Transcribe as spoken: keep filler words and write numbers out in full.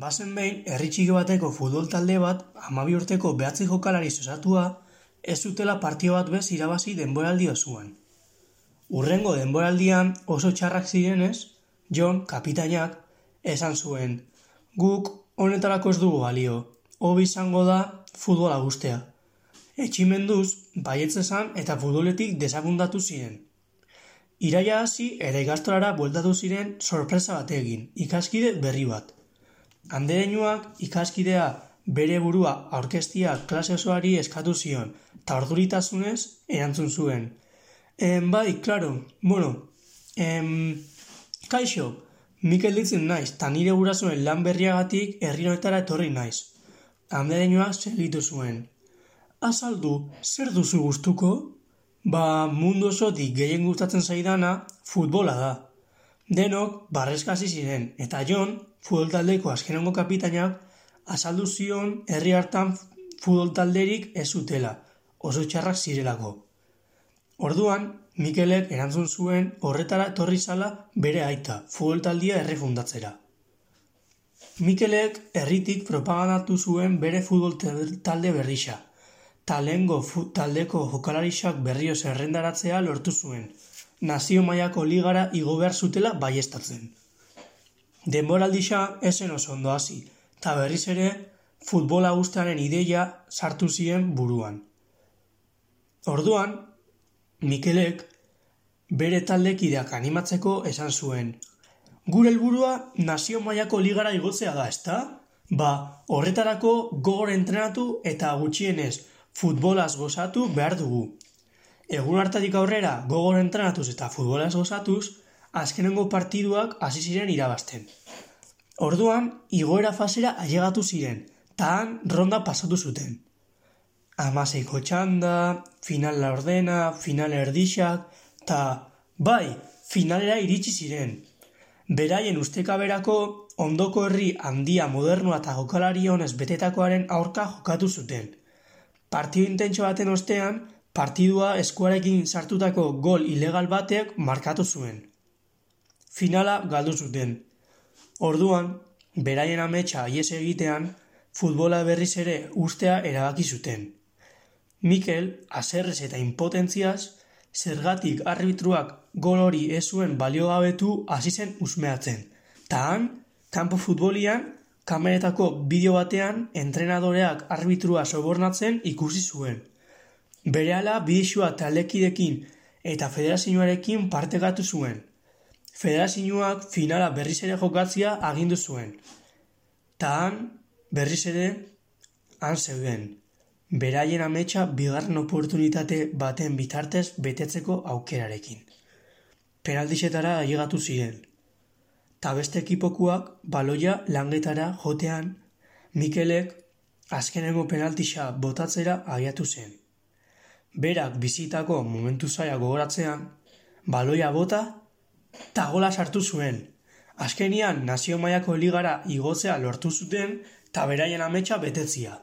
Bazen behin, herri txiki bateko futbol talde bat, hamabi urteko behatzi jokalari osatua, ez zutela partio bat bez irabazi denboraldi osoan. Hurrengo denboraldian oso txarrak zirenez, Jon, kapitainak, esan zuen, guk honetarako ez dugu balio, hobi izango da futbola guztea. Etximenduz, baietz esan eta futboletik desakundatu ziren. Iraia hasi ere ikastolara bueltatu ziren sorpresa batekin, ikaskide berri bat. Andereñuak ikaskidea bere burua aurkeztia klase osoari eskatu zion, eta orduritasunez erantzun zuen. En, bai, klaro, bueno, em, kaixo, Mikel ditzen naiz, eta nire gurasoen lan berriagatik herri honetara etorri naiz. Andereñuak segitu zuen. Azaldu, zer duzu gustuko? Ba, mundu osotik gehien gustatzen zaidana futbola da. Denok barreskasi ziren, eta Jon, futbol taldeko azkenengo kapitainak, azaldu zion herri hartan futbol talderik ez zutela, oso txarrak zirelako. Orduan, Mikelek erantzun zuen horretara etorri zala bere aita, futbol taldia errefundatzera. Mikelek herritik propagandatu zuen bere futbol talde berrisa, eta lehengo taldeko jokalarixak berrio zerrendaratzea lortu zuen, nazio mailako ligara igo behar zutela baiestatzen. Denboraldisa esen oso ondo hasi, eta berriz ere futbola guztiaren ideia sartu ziren buruan. Orduan, Mikelek bere taldekideak animatzeko esan zuen, gure helburua nazio mailako ligara igotzea da, ezta? Ba, horretarako gogor entrenatu eta gutxienez futbolaz gozatu behar dugu. Egun hartatik aurrera gogor entrenatuz eta futbolaz gozatuz, azkenengo partiduak hasi ziren irabazten. Orduan, igoera fasera ailegatu ziren, eta han ronda pasatu zuten. Hamaseiko txanda, final laurdena, final erdixak, eta bai, finalera iritsi ziren. Beraien ustekaberako ondoko herri handia modernoa eta jokalari honez betetakoaren aurka jokatu zuten. Partido intentso baten ostean, partidua eskuarekin sartutako gol ilegal batek markatu zuen. Finala galdu zuten. Orduan, beraien ametsa ihes egitean, futbola berriz ere ustea erabaki zuten. Mikel, haserrez eta impotentziaz, zergatik arbitruak gol hori ez zuen baliogabetu hasi zen usmeatzen. Ta han, kanpo futbolian, kameretako bideo batean, entrenadoreak arbitrua sobornatzen ikusi zuen. Berehala bidexua taldekidekin eta federazioarekin partekatu zuen. Federazioak finala berriz ere jokatzea agindu zuen. Ta han, berriz ere, han zeuden. Beraien ametsa bigarren oportunitate baten bitartez betetzeko aukerarekin. Penaltisetara ailegatu ziren. Ta beste ekipokuak baloia langetara jotean, Mikelek azkenengo penaltisa botatzera abiatu zen. Berak bizitako momentu zaila gogoratzean, baloia bota eta gola sartu zuen. Azkenian nazio mailako ligara igotzea lortu zuten eta beraien ametsa betetzia.